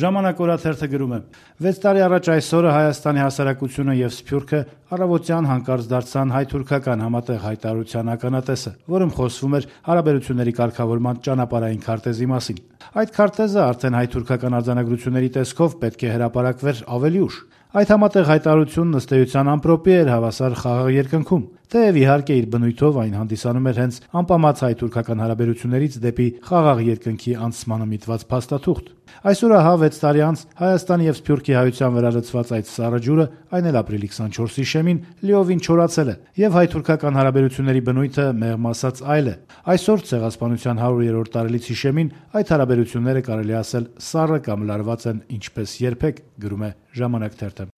Ժամանակ օրաթերթը գրում է. 6 տարի առաջ այսօրը Հայաստանի հասարակությունը եւ Սփյուռքը առավոտյան հանկարծ դարձան հայ-թուրքական համատեղ հայտարարության ականատեսը, որում խոսվում էր հարաբերությունների կարգավորման ճանապարհային քարտեզի մասին։ Այդ քարտեզը արդեն հայ-թուրքական արձանագրությունների տեսքով պետք է հրապարակվեր ավելի ուշ։ Այդ համատեղ հայտարարությունն ըստ էության ամպրոպի էր հավասար խաղաղ երկնքում, թեև իհարկե իր բնույթով այն հանդիսանում էր հենց անպամած հայ-թուրքական հարաբերություններից դեպի խաղաղ երկնքի անցմանը միտված փաստաթուղթ։ Այսօր ահա 6 տարի անց Հայաստանի եւ Սփյուռքի հայության վրա լցված այդ սառը ջուրը, այն էլ ապրիլի 24-ի շեմին, լիովին չորացել է, եւ հայ-թուրքական հարաբերությունների բնույթը մեղմ ասած այլ է։ Այսօր Ցեղասպանության 100-րդ տարելիցի շեմին այդ հարաբերությունները կարելի ասել սառը կամ լարված են ինչպես երբեք, գրում է Ժամանակ թերթը։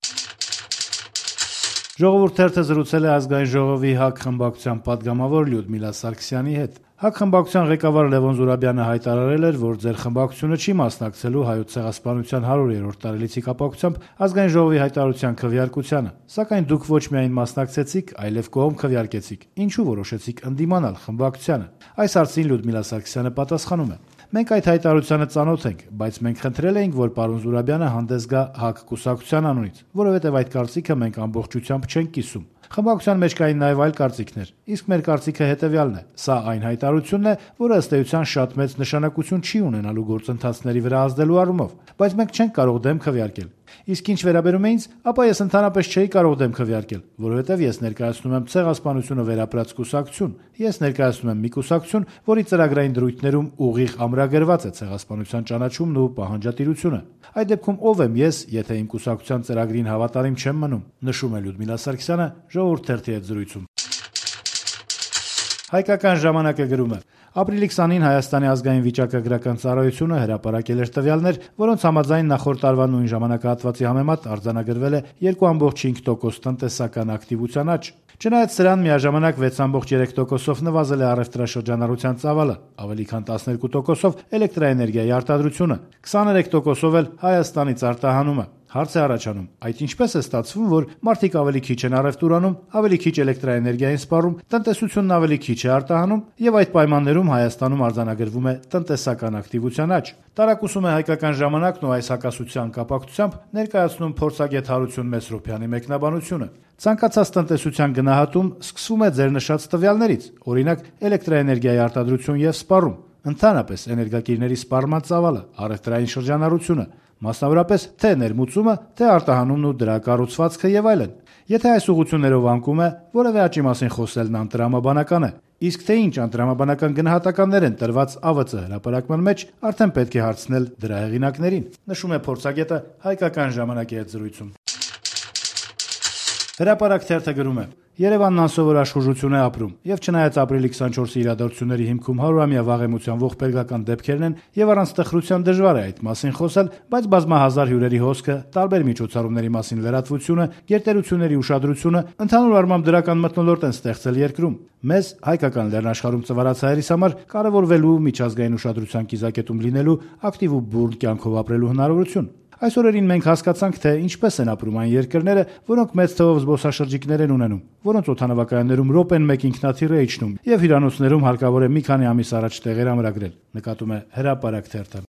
Ժողովուրդ թերթը զրուցել է Ազգային ժողովի ՀԱԿ խմբակցության պատգամավոր Լյուդմիլա Սարգսյանի հետ։ ՀԱԿ խմբակցության ղեկավար Լևոն Զուրաբյանը հայտարարել էր, որ ձեր խմբակցությունը չի մասնակցելու Հայոց Ցեղասպանության 100-րդ տարելիցի կապակցությամբ Ազգային ժողովի հայտարարության քվեարկությանը, սակայն դուք ոչ միայն մասնակցեցիք, այլև կողմ քվեարկեցիք։ Ինչու որոշեցիք ընդդիմանալ խմբակցությանը։ Այս հարցին Լյուդմիլա Սարգսյանը պատասխանում է. Մենք այդ հայտարարությանը ծանոթ ենք, բայց մենք խնդրել էինք, որ պարոն Զուրաբյանը հանդես գա ՀԱԿ կուսակցության անունից, որովհետև այդ կարծիքը մենք ամբողջությամբ չենք կիսում։ Խմբակցության մեջ կային նաև այլ կարծիքներ, իսկ մեր կարծիքը հետևյալն է. սա այն հայտարարությունն է, որը ըստ էության շատ մեծ նշանակություն չի ունենալու գործընթացների վրա ազդելու առումով, բայց մենք չենք կարող դեմ քվեարկել։ Իսկ ինչ վերաբերում է ինձ, ապա ես ընդհանրապես չէի կարող դեմ քվեարկել, որովհետև ես ներկայացնում եմ Ցեղասպանությունը վերապրած կուսակցություն, ես ներկայացնում եմ մի կուսակցություն, որի ծրագրային դրույթներում ուղիղ ամրագրված է Ցեղասպանության ճանաչումն ու պահանջատիրությունը։ Այդ դեպքում ով եմ ես, եթե իմ կուսակցության ծրագրին հավատարիմ չեմ մնում, նշում է Լյուդմիլա Սարգսյանը Ժողովուրդ թերթի հետ զրույցում։ Հայկական ժամանակը գրում է. ապրիլի 20-ին Հայաստանի ազգային վիճակագրական ծառայությունը հրապարակել էր տվյալներ, որոնց համաձայն նախորդ տարվա նույն ժամանակահատվածի համեմատ արձանագրվել է 2.5% տնտեսական ակտիվության աճ։ Չնայած սրան միաժամանակ 6.3%-ով նվազել է առևտրաշրջանառության ծավալը, ավելի քան 12%-ով էլեկտրաէներգիայի արտադրությունը, 23%-ով էլ Հայաստանից արտահանումը։ Հարց է առաջանում, այդ ինչպես է ստացվում, որ մարդիկ ավելի քիչ են առևտուրանում, ավելի քիչ էլեկտրաէներգիա են սպառում, տնտեսությունն ավելի քիչ է արտահանում, եւ այդ պայմաններում Հայաստանում արձանագրվում է տնտեսական ակտիվության աճ։ Տարակուսում է Հայկական ժամանակն ու այս հակասության կապակցությամբ ներկայացնում փորձագետ Հարություն Մեսրոպյանի մեկնաբանությունը։ Ցանկացած տնտեսության գնահատում սկսվում է ձեր նշած տվյալներից, օրինակ էլեկտրաէներգիայի արտադրություն եւ սպառում, ընդհանրապես էներգակիրների սպառման ծավալը, առևտրային շրջանառությունը, մասնավորապես թե ներմուծումը, թե արտահանումն ու դրա կառուցվածքը եւ այլն։ Եթե այս ուղղություններով անկում է, որևէ աճի մասին խոսելն անտրամաբանական է, իսկ թե ինչ անտրամաբանական գնահատականներ են տրված ԱՎԾ հրապարակման մեջ, արդեն պետք է հարցնել դրա հեղինակներին, նշում է փորձագետը Հայկական ժամանակի հետ զրույցում։ Հրապարակ թերթը գրում է. Երևանն անսովոր աշխուժություն է ապրում, եւ չնայած ապրիլի 24-ի իրադարձությունների հիմքում 100-ամյա վաղեմության ողբերգական դեպքերն են, եւ առանց տխրության դժվար է այդ մասին խոսել, բայց բազմահազար հյուրերի հոսքը, տարբեր միջոցառումների մասին լրատվությունը, գերտերությունների ուշադրությունը, ընդհանուր առմամբ դրական մթնոլորտ են ստեղծել երկրում։ Մեզ հայկական լեռնաշխարհում ծվարած հայերիս համար կարևորվելու միջազգային ուշադրության կիզակետում լինելու ակտիվ ու բուրդ կյանքով ապրելու հնարավորություն։ Այս օրերին մենք հասկացանք, թե ինչպես են ապրում այն երկրները, որոնք մեծ թվով զբոսաշրջիկներ են ունենում, որոնց օդանավակայաններում րոպեն մեկ ինքնաթիռ է իջնում, եւ հյուրանոցներում հարկավոր է մի քանի ամիս առաջ տեղեր ամրագրել, նկատում է Հրապարակ թերթը։